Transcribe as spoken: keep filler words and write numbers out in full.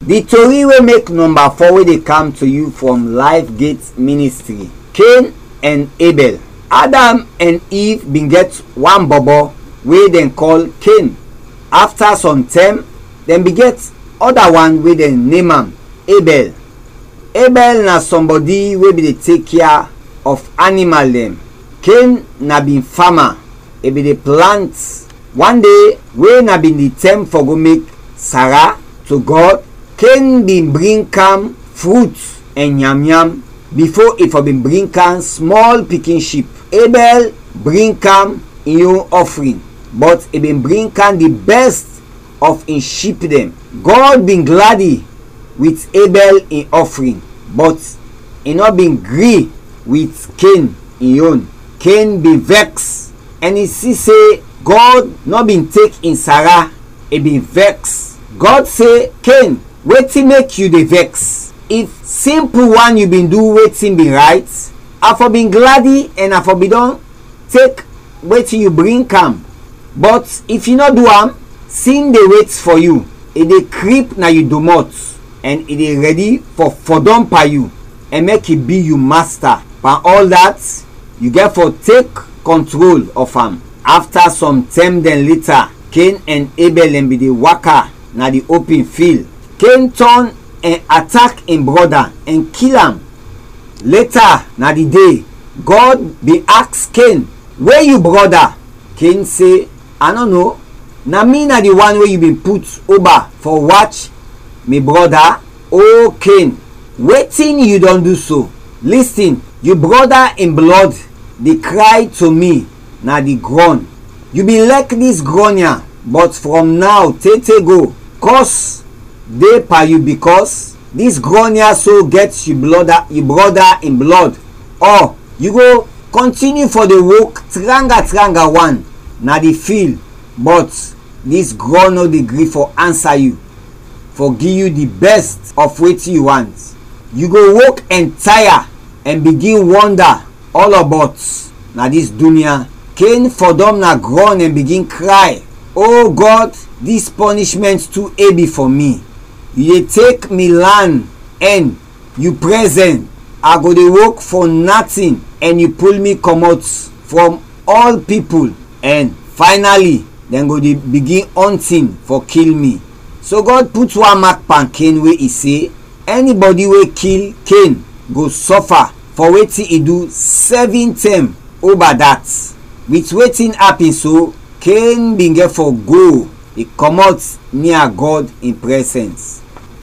Di tori wey mek nɔmba fɔ we de kam to yu from Life Gate Ministry, Cain ɛn Abel. Adam ɛn Eve bin gɛt wan bɔbɔ we dɛn kɔl Cain. Afta sɔm tɛm, dɛn bin gɛt ɔda wan we dɛn nem am Abel. Abel na sɔmbɔdi we bin de tek kea of animal dɛn. Cain na bin fama, i bin de plant. Wan de we na bin di tɛm fɔ go mek Sara to Gɔd, Cain bin bring kam frut ɛn nyamnyam bifo i fɔ bin bring kam smɔl pikin ship. Abel bring kam in yon ɔfrin, bɔt i bin bring kam di bɛst of in ship dɛn. Gɔd bin gladi wit Abel in ɔfrin, bɔt i nɔ bin gri wit Cain in yon. Cain bin vɛks, ɛn i si se Gɔd nɔ bin tek in Sara, i bin vɛks. Gɔd se, Cain, wetin mek yu de vɛks? If simpul wan yu bin du wetin bin rayt, a fɔ bin gladi ɛn a fɔ bin dɔn tek wetin yu bring kam. Bɔt if yu nɔ du am, sin de wet fɔ yu, i de krip na yu domɔt, ɛn i de rɛdi fɔ fɔdɔm pan yu ɛn mek i bi yu masta. Pan ɔl dat, yu gɛt fɔ tek kɔntrol ɔf am. Afta sɔm tɛm dɛn leta, Cain ɛn Abel dɛn bin de waka na di opin fil. Cain tɔn ɛn atak in brɔda ɛn kil am. Leta na di de, Gɔd bin aks Cain, "We yu brɔda?" Cain se, "A nɔ no. Na mi na di wan we yu bin put oba fɔ wach mi brɔda." O Cain, wetin yu dɔn du so? Listin, yu brɔda in blɔd de kray to mi na di grɔn. Yu bin lɛk dis grɔn ya, bɔt from naw te te go, kɔs de pan yu, bikɔs dis grɔn ya so gɛt yu brɔda, yu brɔda in blɔd. Ɔ yu go kɔntiniu fɔ de wok tranga tranga wan na di fil, bɔt dis grɔn nɔ de gri fɔ ansa yu, fɔ gi yu di bɛst of wetin yu want. Yu go wok ɛn taya ɛn bigin wɔnda ɔlɔbɔt na dis dunia. Cain fɔdɔm na grɔn ɛn bigin kray, "O Gɔd, dis pɔnishmɛnt tu ebi fɔ mi. Yu de tek mi lan ɛn yu prɛzɛn, a go de wok fɔ natin, ɛn yu pul mi kɔmɔt from ɔl pipul, ɛn faynali dɛn go de bigin ɔntin fɔ kil mi." So Gɔd put wan mak pan Cain we i se, ɛnibɔdi we kil Cain go sɔfa fɔ wetin i du sɛvin tɛm oba dat. Wit wetin apin so, Cain bin gɛt fɔ go, i kɔmɔt nia Gɔd in prɛzɛns.